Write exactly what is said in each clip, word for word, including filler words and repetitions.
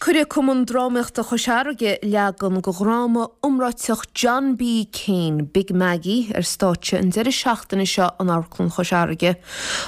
cuirfidh Cumann Drámaíochta Chois Fharraige leagan de dhráma iomráiteach John B. Keane, Big Maggie, ar stáitse an deireadh seachtaine seo in Amharclann Chois Fharraige.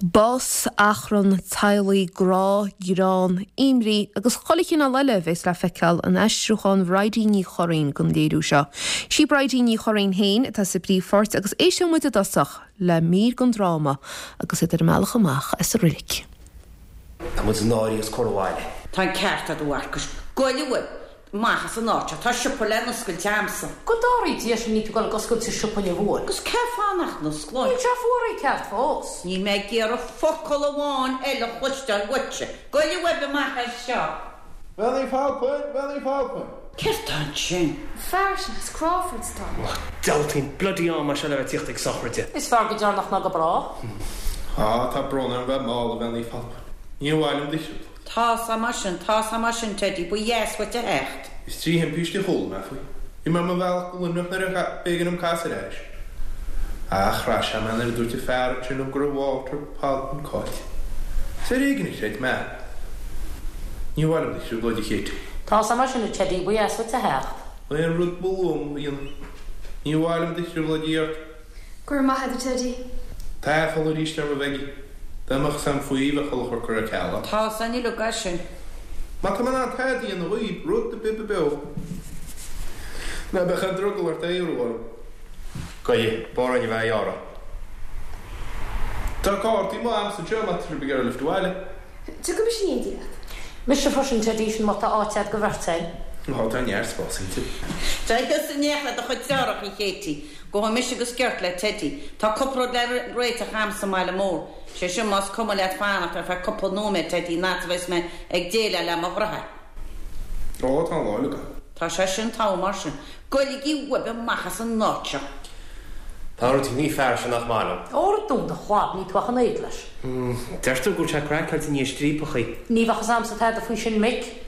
Bás, achrann, teaghlaigh, grá, greann, imní agus chuile chineál eile a bheas le feiceáil in aistriúchán Bhridie Ní Churraoin don léiriú seo. Sí Bridie Ní Churraoin féin atá sa bpríomhpháirt agus éisteoidh muid i dtosach le mír den dráma agus iad ar a mbealach amach as an reilig. Tá muid náirithe is curtha abhaile. Tá an ceart agat a Mharcais. Goilleadh uaibh. Amach as an áit seo. Tá siopa le n-oscailt a'msa. Go dtarraí Dia sin ní tú ag oscailt sa siopa inniu uair. Agus cén fáth nach n-osclóinn? Níl sé fuaraithe ceart fós. Níl mé ag iarraidh focal amháin eile a chloisteáil uaitse. Goilleadh uaibh amach as seo. Bhean Uí Phalpain, Bhean Uí Phalpain. Céard tá ansin? Fear sin is Crawford tá. Dealtaín bloody am mar seo le bheith tíocht ag sochraide. Is fearr go deireanach ná go brách. Á, tá brón orm bheith mall, a Bhean Uí Phalpain. Ní mhaith liom do thrioblóid. Tá sé mar sin, tá sé mar sin, Teddy, ba dheas uait a theacht. Is trí thimpiste a chuala mé faoi. Bhí mé ar mo bhealach go Luimneach nuair a b'éigean dom casadh ar ais. Ach chraith sé mé nuair a dúirt an fear ansin liom go raibh Walter Palpin caillte. Is ar éigean a chreid mé. Ní mhaith liom do thrioblóid, a Chéit. Tá sé mar sin, a Teddy, ba dheas uait a theacht. Aon rud ba lú a dhéanamh. Ní mhaith liom do thrioblóid a iarraidh. Go raibh maith agat, a Teddy. Tá aiféala arís orm, a Mhaggie. Dá mbeadh a fhios a'm faoi bheadh chuile chor curtha ar ceal a'm. Tá san uilig as sin. Má tá mé in ann tada a dhéanamh dhaoib, rud ar bith ba beo. Ná beadh aon drogall ort é a iarraidh orm. Goidhe, b'fhearr orainn a bheith á ghearradh. Tá cártaí amuigh a'msa anseo má tá sibh ag iarraidh lift abhaile. Tiocfaidh mise in éindí leat. Mise freisin, Teddy, sin má tá áit a'd do bheirt a'inn. Ó, tá neart spáis inti. Téigh thusa in éineacht le do chuid deartháireacha, a Chéití. Gabhfaidh mise go sciorta le Teddy. Tá cúpla rud le réiteach a'm sa mbaile mór. Sé sin más cuma leat fanacht ar feadh cúpla nóiméad, Teddy, an fhad is a bheas mé ag déileáil le mo dheartháir. Ó, tá an lá uilig a'm. Tá sé sin togha mar sin. Goiligí uaibh amach as an áit seo. Tá rud faoin bhfear sin nach maith liom. Óra dún do chlab, ní tú ach an oiread leis. Deirtear go bhfuil sé craiceáilte i ndiaidh striapachaí. Ní bheadh fhios a'msa tada faoi sin, mic.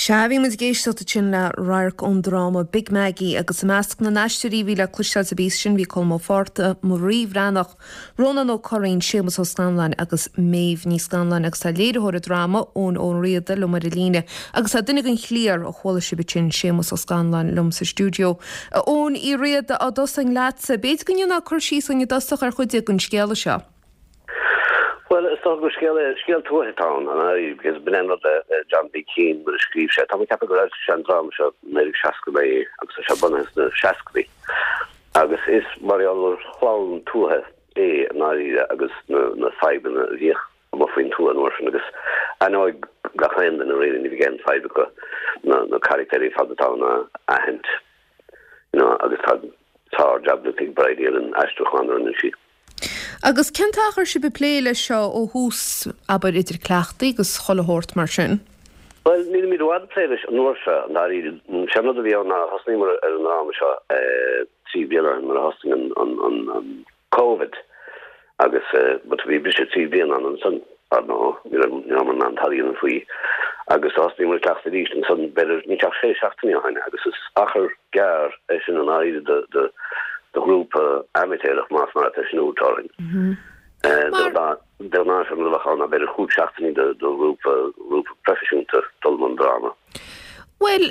Sea, bhí muid ag éisteacht ansin le radharc ón dráma Big Maggie agus i measc na n-aisteoirí a bhí le cloisteáil sa bpíosa sin bhí Colm Ó Fátharta, Marie Bhreathnach, Rónán Ó Curraoin, Séamus Ó Scanláin agus Méabh Ní Scanláin agus tá léiritheoir an dráma, Eoin Ó Riada, liom ar an líne agus tá duine den chliar a chuala sibh ansin, Séamus Ó Scanláin, liom sa stiúideo. A Eoin Uí Riada, á dtosóinn leatsa, b'fhéidir go ndéanfá cur síos dúinn i dtosach ar chuid den scéala seo. Bhuel, is dócha gur scéal é, scéal tuaithe atá ann, an ea, because b'in é an rud le John B. Keane nuair a scríobh sé. Tá mé ag ceapadh gur fhoilsigh sé an dráma seo naoi déag seasca naoi agus tá sé bunaithe sna seascaidí. Agus is mar gheall ar chlann tuaithe é i ndáiríre agus na, na fadhbanna a bhíodh amuigh faoin tuath an uair sin agus aithneoidh gach aon duine really, ní bheidh aon fadhb acu na, na carachtéirí ar fad atá ann a aithint, you know, agus tá sár-jab déanta ag Bridie ar an aistriúchán a rinne sí. Agus cén t-achar sibh ag plé leis seo ó thús, abair, idir cleachtaí agus chuile shórt mar sin? Bhuel, nílimid i bhfad ag plé leis an uair seo, i ndáiríre. Sé an rud a bhí ann ná thosnaíomar ar an ndráma seo trí bliana ó shin nuair a thosnaigh an, an, an, an Covid agus but bhí briseadh trí bliana ann ansan, ar ndóigh, ní raibh, ní rabhamar in ann tada a dhéanamh faoi. Agus thosnaíomar ag cleachtadh arís ansan b'fhéidir níl sé ach sé seachtainí ó shin agus is achar gearr é sin i ndáiríre do, do, do ghrúpa amaitéarach más maith leat é sin a thabhairt orainn. De ghnáth sé an rud a bheadh ann ná b'fhéidir chúig seachtainí do ghrúpa grúpa proifisiúnta dul i mbun dráma. Bhuel,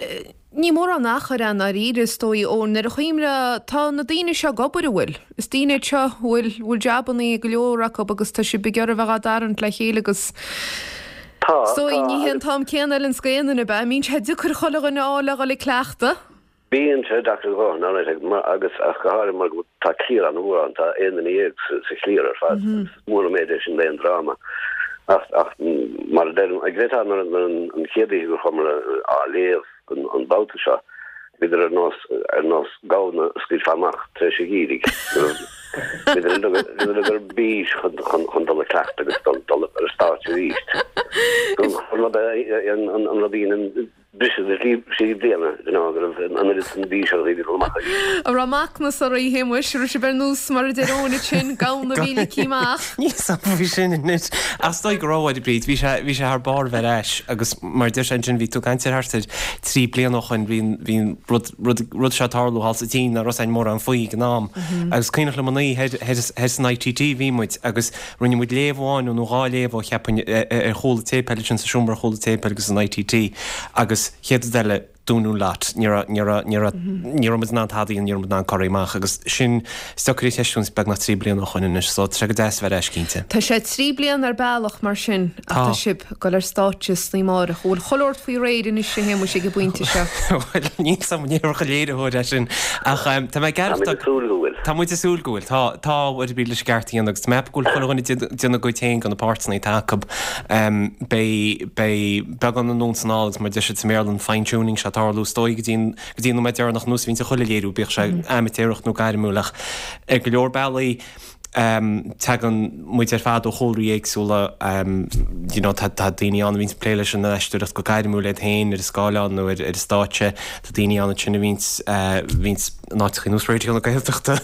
ní mórán achair é i ndáiríre, is dóigh, ó nuair a chuimhneofá, tá na daoine seo ag obair, an bhfuil? Is daoine iad seo a bhfuil, bhfuil jabannaí ag go leor acu agus tá sibh ag iarraidh a bheith á dtarraingt le chéile agus Tá, is dóigh tá ní hé an agus. t-am céanna a fheileanns d'aon duine, ab ea? Mbíonn sé deacair chuile dhuine a fháil le dhul ag cleachtadh? Bíonn sé deacair a dhóthain, alright, agus ach go háirithe mar go tá cliar an-mhór ann, tá aon duine dhéag sa chliar ar fad, agus is mór an méid é sin d'aon dráma. Ach, ach mar a deirim, ag bheith nuair an chéad oíche gur chuamar á léamh an babhta seo, bhíodar ar nós, ar nós gamhna a scaoilfeá amach tar éis an gheimhridh. Bhíodar uilig ar bís chun, chun, chun dul ag cleachtadh agus dul, dul ar an stáitse arís. An rud a, an, an rud a dhéanann briseadh de thrí bliana, you know, go raibh an oiread san bís ar dhaoine dul amach arís. An raibh macnas oraibh, a Shéamuis, raibh sibh ar nós mar a deir Eoin ansin, gamhna a bhí ligthe amach? Níl 's a'm faoi sin anois. Ach is dóigh go raibh, a Bhríd, bhí sé, bhí sé thar barr bheith ar ais agus mar a deir sé ansin, bhí tú ag caint ar thart ar trí bliana ó shoin, bhí an, bhí an rud, rud, rud seo ag tarlú thall sa tSín, nach raibh 's a'inn mórán faoi ag an am. Agus cuimhneach liom an oíche thoir, thoir san ITT bhí muid agus rinne muid léamh amháin nó dhá léamh ó cheapfainn ar chúl an tséipéil ansin sa seomra ar chúl an tséipéil agus san ITT agus chéad rud eile dúnadh an lot. Ní raibh, ní raibh, ní raibh, ní raibh muid in ann tada a dhéanamh, ní raibh muid in ann corraí amach agus sin is deacair a cheist beagnach trí bliana ó shoin anois so tá sé go deas a bheith ar ais cinnte. Tá sé trí bliana ar bealach mar sin ach tá sibh ag dul ar stáitse san oíche amárach. An bhfuil chuile shórt faoi réir anois a Shéamuis ag an bpointe seo? Bhuel, níl 's a'm an ndéarfadh an léiritheoir é sin ach tá mé ag Tá muid ag súil go bhfuil. Tá muid ag súil go bhfuil. Tá, tá a Bhríd leis an gceart a dhéanamh agus tá mé ag ceapadh go bhfuil chuile dhuine ag déanamh a gcuid féin de na páirteanna atá acu. Beidh, beidh beagán anonn is anall agus mar a deir siad sa mBéarla an fine tuning seo ag tarlú is dóigh go dtí an, go dtí an nóiméad deireanach nós a bhíonns ag chuile léiriú, bíodh sé amaitéarach nó gairmiúil ach ar go leor bealaí tagann muid ar fad ó chúlraí éagsúla, you know tá, tá daoine ann a bhíonns ag plé leis an aisteoireacht go gairmiúil iad féin ar an scáileán nó ar, ar an stáitse, tá daoine ann ansin a bhíonns, bhíonns in áiteachaí nós Raidió na Gaeltachta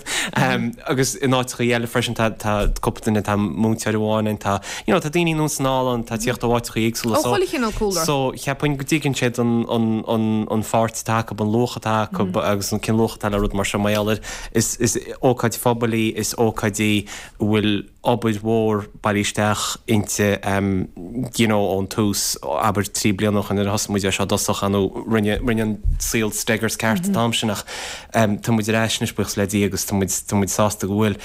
agus in áiteachaí eile freisin tá, tá cúpla duine, tá múinteoir amháin ann, tá, you know tá daoine anonn is anall ann, tá tíocht ó áiteachaí éagsúla Ó so, chuile chineál cúlra. so cheapfainn go dtuigeann siad an, an, an, an pháirt atá acu, an luach atá acu agus an cén luach atá le rud mar seo mar gheall ar is, is ócáid phobail í, is ócáid í a bhfuil obair mhór bailithe isteach inti you know ón tús, abair trí bliana ó shoin nuair a thosaigh muid ar seo i dtosach nó rinne, rinne an saol Steggers ceart an t-am sin ach tá muid ar ais anois buíochas le Dia agus tá muid, tá muid sásta go bhfuil.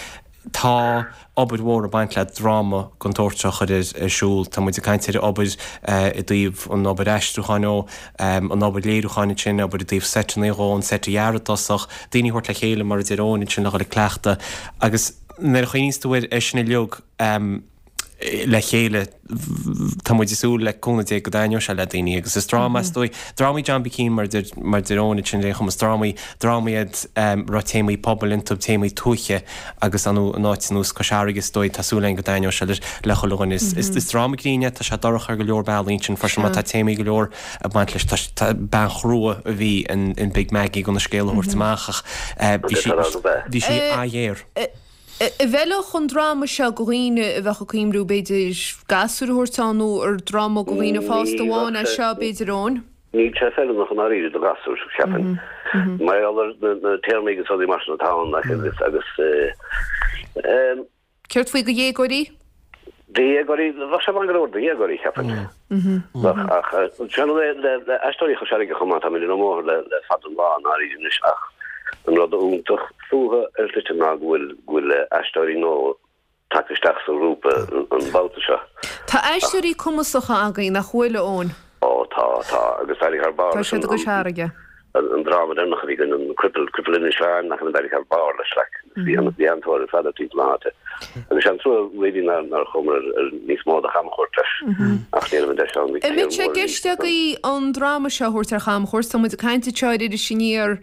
Tá obair mhór ag baint le dráma den tsórt seo a chur ar, ar siúl. Tá muid ag caint ar obair i dtaobh an obair aistriúcháin ó, an obair léiriúcháin ansin, obair i dtaobh seiteanna dhó, an seit a dhearadh i dtosach, daoine a thabhairt le chéile mar a deir Eoin ansin le dhul ag cleachtadh agus nuair a chuimhníos tú air ar sin uilig le chéile tá muid ag súil le cúnamh Dé go dtaitneoidh sé le daoine agus is dráma is dóigh drámaí John B. Keane mar deir mar deir Eoin ansin ar aon chuma is drámaí drámaí iad a raibh téamaí pobail iontu téamaí tuaithe agus ar ndóigh in áit ar nós Cois Fharraige is dóigh tá súil againn go dtaitneoidh sé le le chuile dhuine is is is dráma grinn é tá sé dorcha ar go leor bealaí ansin freisin mar tá téamaí go leor ag baint leis tá tá bean chrua a bhí in in Big Maggie chun an scéal a thabhairt amach ach bhí sí bhí sí an-ghéar. An bhfeilfeadh an dráma seo do dhaoine a bheadh ag cuimhniú b'fhéidir gasúir a thabhairt ann nó ar dráma do dhaoine fásta amháin é seo b'fhéidir Eoin? Níl sé feiliúnach i ndáiríre do ghasúir, cheapfainn. Mar gheall ar na téarmaí agus rudaí mar sin atá ann agus agus. Céard faoi do dhéagóirí? Do dhéagóirí, bheadh sé maith go leor do dhéagóirí, cheapfainn. Bheadh, ach sin rud é le le Aisteoirí Chois Fharraige chomh maith, táimid ar an mbóthar le le fada an lá i ndáiríre anois ach an rud iontach fúthu ar shlite ná go bhfuil go bhfuil aisteoirí nua tagtha isteach sa ghrúpa an babhta seo. Tá aisteoirí cumasacha againn, nach bhfuil, a Eoin? Ó tá, tá, agus d'éirigh thar barr Tá leis siad an i gCois Fharraige. an dráma deireanach a bhí againn, an Cripple, Cripple Inis Mheáin, nach ea, d'éirigh thar barr leis, like, bhí an bhí an-tóir ar fad air timpeall na háite. Agus sé an trua really nár nár chuamar ar ar níos mó de chamchuairt leis, ach ní raibh an deis ann, bhí An mbeadh cliar sé i mór arís gceist agaibh an dráma seo a thabhairt ar chamchuairt? Tá muid ag caint anseo ar Iris Aniar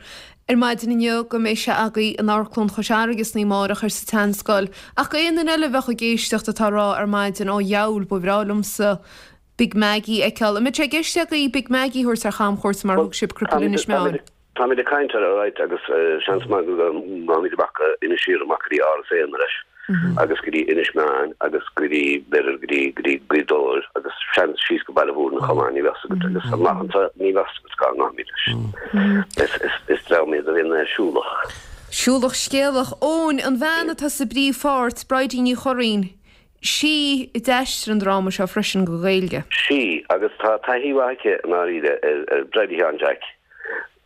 ar maidin inniu go mbeidh sé agaibh in Amharclann Chois Fharraige san oíche amárach ar sa tSeanscoil. Ach aon duine eile a bheadh ag éisteacht atá ag rá ar maidin, ó dheabhail, ba bhreá liomsa Big Maggie a fheiceáil. An mbeadh sé i gceist agaibh Big Maggie a thabhairt ar chamchuairt mar a Bhuel, thug sibh Cripple táimid Inis Meáin? táimid ag caint air, alright, agus seans maith go ngabhfaimid amach go Inis Oírr, amach go dtí Áras Éanna leis, agus go dtí Inis Meáin, agus go dtí, b'fhéidir, go dtí, go dtí Gaoth Dobhair, agus seans síos go Baile Mhúirne chomh maith, ní bheadh 's agat, agus amach anseo, ní bheadh 's agat cá ngabhfaimid leis. Is, is, is dream iad a bhíonn siúlach. Siúlach scéalach. Eoin, an bhean atá sa bpríomhpháirt, Bridie Ní Churraoin, sí a d'aistrigh an dráma seo freisin go Gaeilge. Sí, agus tá taithí mhaith aici i ndáiríre ar, ar Bridie Sheáin Jeaic.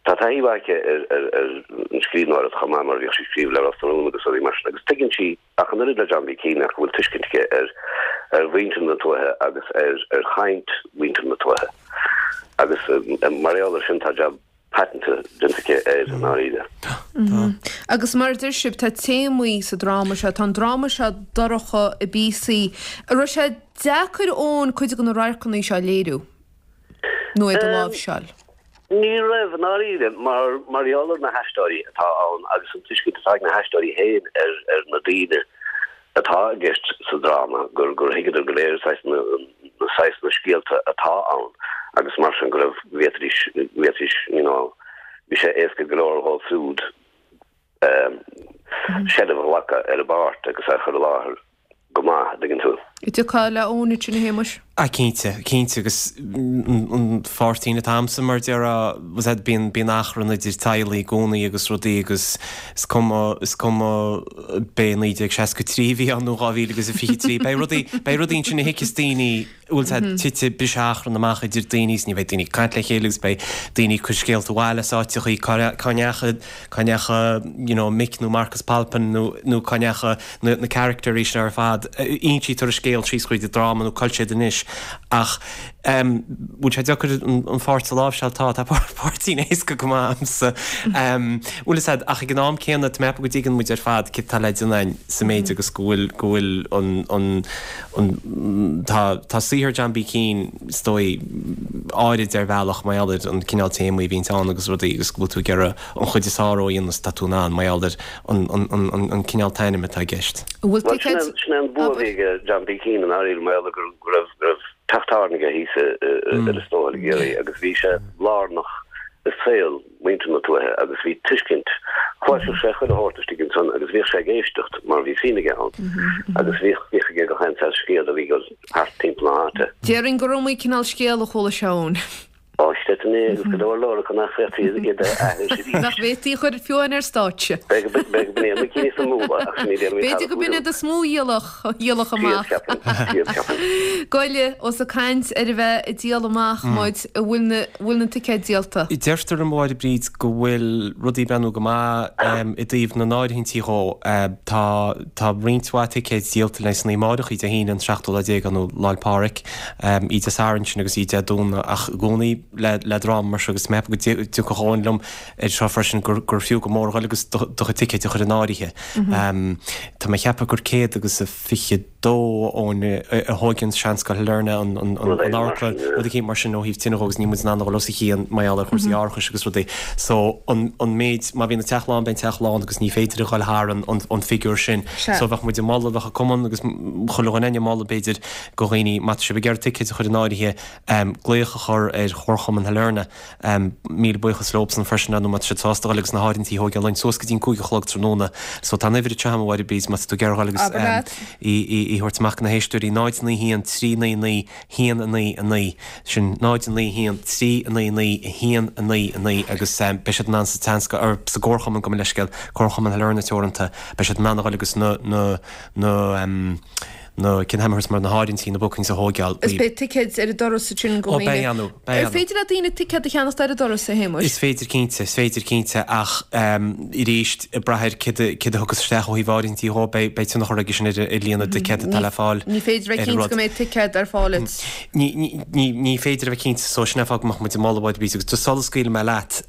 Tá taithí mhaith aici ar, ar, ar an scríbhneoireacht chomh maith mar bhíodh sí ag scríobh le Ros na Rún agus rudaí mar sin agus tuigeann sí ach an oiread le John B. Keane ach go bhfuil tuiscint aici ar, ar mhuintir na tuaithe agus ar, ar chaint mhuintir na tuaithe. Agus mar gheall air sin tá jab paiteanta déanta aici air i ndáiríre. Tá. Agus mar a deir sibh, tá téamaí sa dráma seo, tá an dráma seo dorcha i bpíosaí. An raibh sé deacair Eoin cuid de na radharcanna seo a léiriú nó iad a láimhseáil? Ní raibh, i ndáiríre, mar mar gheall ar na haisteoirí atá ann agus an tuiscint atá ag na haisteoirí féin ar ar na daoine atá i gceist sa dráma, gur gur thuigeadar go léir saghas na na saghas na scéalta atá ann agus mar sin go raibh bhféadfaidís bhféadfaidís you know bhí sé éasca go leor dhóibh siúd um, seilbh a ghlacadh ar an bpáirt agus a chur i láthair go maith, dtuigeann tú. Dtiocfá le Eoin ansin a Shéamais? Ah cinnte, cinnte agus an pháirtín atá a'msa mar déarfá was that bíonn bíonn achrann idir teaghlaigh i gcónaí agus rudaí agus is cuma is cuma b'é naoi déag seasca trí a bhí ann nó dhá mhíle agus a fiche trí beidh rudaí beidh rudaí ansin a thuigfeas daoine bhfuil sé tite briseadh achrann amach idir daoine is ní bheidh daoine ag caint le chéile agus beidh daoine ag cur scéalta abhaile as áiteachaí cá cá ndeacha cá ndeacha you know Mick nó Marcus Palpin nó nó cá ndeacha na na caractéirí sin ar fad insítear an scéal síos chuid an dráma nó cá bhfuil siad anois ach bhfuil sé deacair an pháirt a láimhseáil tá tá páirtín éasca go maith a'msa bhfuil fhios a'd ach ag an am céanna tá mé ag ceapadh go dtuigeann muid ar fad céard atá le déanamh againn sa méid agus go bhfuil go bhfuil an an an tá tá saothar John B Keane is dóigh áirid ar bhealach mar gheall ar an cineál téamaí a bhíonn ann agus rudaí agus go bhfuil tú ag iarraidh an chuid is fearr a dhéanamh is atá tú in ann mar gheall ar an an an an cineál taitneamh atá i gceist. Bhfuil Bhuel, sin é sin é an bua a bhí ag John B Keane i ndáiríre mar gheall go go raibh go raibh teach tábhairne aige thíos ar Lios Tuathail i gCiarraí agus bhí sé lárnach i saol muintir na tuaithe agus bhí tuiscint chloiseadh sé chuile shórt istigh ansan agus bhíodh sé ag éisteacht mar bhí suim aige ann agus bhíodh bhíodh aige gach aon saghas scéal a bhí ag dul thart timpeall na háite. Déarfainn gur iomaí cineál scéal a chuala sé ann. Ó, chreidfinn é agus go leor leor acu nach bhféadfaí iad a aithris arís. Nach bhféadfaí a chur fiú amháin ar stáitse. B'fhéidir go b'in iad na cinn is mó ach sin iad ar B'fhéidir go b'in iad is mó a dhíolfadh amach. Siad, ceapaim. Goile, ós ag caint ar a bheith ag díol amach muid, an bhfuil na, bhfuil na ticéid díolta? Deirtear liom a Mháire Bríd go bhfuil rudaí ag breathnú go maith i dtaobh na n-áirithintí dhó. Tá, tá roinnt mhaith ticéid díolta leis an oíche amárach, Dé hAoine an seachtú lá déag nó Lá 'le Pádraig, oíche Dé Sathairn sin agus oíche Dé Domhnaigh ach i gcónaí le le dráma mar seo agus mé ag ceapadh go dtiocfadh Eoin liom ar seo freisin gur gur fiú go mór a ghoil agus do do chuid ticéid a chur in áirithe. Tá mé ag ceapadh gur céad agus a fiche dó Eoin a thóigeann Seanscoil Shailearna an an an an amharclann, rud eicínt mar sin ó thaobh tine dhó agus níl muid in ann a dhul os a chionn mar gheall ar chúrsaí árachais agus rudaí. So an an méid má bhíonn an teach lán beidh an teach lán agus ní féidir a dhul thar an an an figiúr sin. So bheadh muid ag moladh bheadh an cumann agus chuile dhuine ag moladh b'fhéidir go dhaoine má tá sibh ag iarraidh ticéid a chur in áirithe glaoch a chur ar Chomharchumann Shailearna. Míle buíochas leobsan freisin nó má tá siad sásta dhul agus na háirithintí a thógáil linn suas go dtí an cúig a chlog tráthnóna. So tá an uimhir anseo agam a Mháire Bríd má tá tú ag iarraidh dhul agus í í thabhairt amach do na héisteoirí náid naoi haon trí naoi naoi haon a naoi a naoi. Sin náid naoi haon trí naoi naoi haon a naoi a naoi agus beidh siad in ann sa tSeanscoil, or sa gComharchumann gabh mo leithscéal, Comharchumann Shailearna Teoranta, beidh siad in ann a dhul agus na na na na cinn hammers mar na háirithintí na bookings a thógáil. Is beidh ticéid ar an doras ansin go Ó beidh ann, beidh Ar ann. féidir le daoine ticéad a cheannacht ar an doras, a Shéamuis? Is féidir cinnte, is féidir cinnte ach arís ag brath ar céard a céard a thiocfas isteach ó thaobh áirithintí dhó beidh beidh tionchar aige sin ar ar líon na dticéad atá le fáil Ní féidir a bheith ar an cinnte rud. go mbeidh ticéad ar fáil duit. Ní ní ní ní féidir a bheith cinnte so sin é an fáth go mbeadh muid ag moladh Mháire Bríd agus just sula scaoilfidh mé leat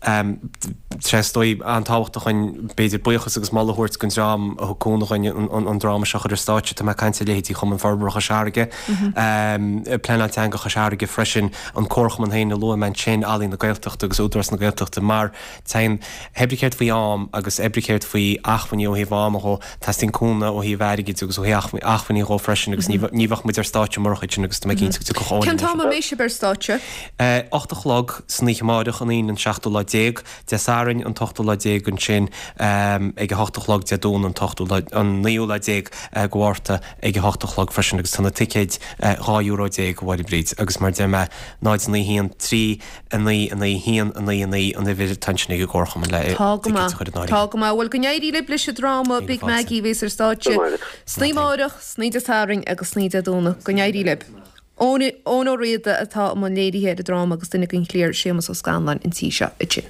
sé is dóigh an-tábhachtach dhúinn b'fhéidir buíochas agus moladh a thabhairt don dream a thug cúnamh dhúinn an dráma seo a chur ar stáitse. Tá mé ag caint ar leithéidí Chumann Forbartha Chois Fharraige, Pleanáil Teanga Chois Fharraige freisin, an Comharchumann féin a luaigh mé ansin, Ealaín na Gaeltachta agus Údarás na Gaeltachta mar téann pé ar bith céard faoi am agus pé ar bith céard faoi acmhainní ó thaobh ama dhó, teastaíonn cúnamh ó thaobh airgid agus ó thaobh acmhainní dhó freisin agus ní bheadh muid ar stáitse murach iad sin agus tá mé cinnte go dtiocfadh Eoin Cén t-am a mbeidh sibh ar stáitse? Ocht a chlog san oíche amáireach, an Aoine an seachtú lá déag, Dé Sathairn an t-ochtú lá déag ansin ag a hocht a chlog, Dé Domhnaigh an t-ochtú lá, an naoú lá déag de Mhárta ag a hocht a chlog freisin agus tá na ticéid dhá euro déag a Mháire Bríd agus mar a deir mé náid naoi haon trí a naoi a naoi haon a naoi a naoi an uimhir atá ansin ag an gComharchumann le Tá go ticéid maith. a chur in áirithe. Tá go maith. Bhuel go n-éirí libh leis an dráma Míle Big fáilte. Maggie a bheas ar stáitse Go maith. san oíche amáireach, san oíche Dé Sathairn agus san oíche Dé Domhnaigh. Go n-éirí libh. Eoin Ó Riada atá i mbun léirithe ar an dráma agus duine den chliar Séamus Ó Scanláin an tí seo ansin.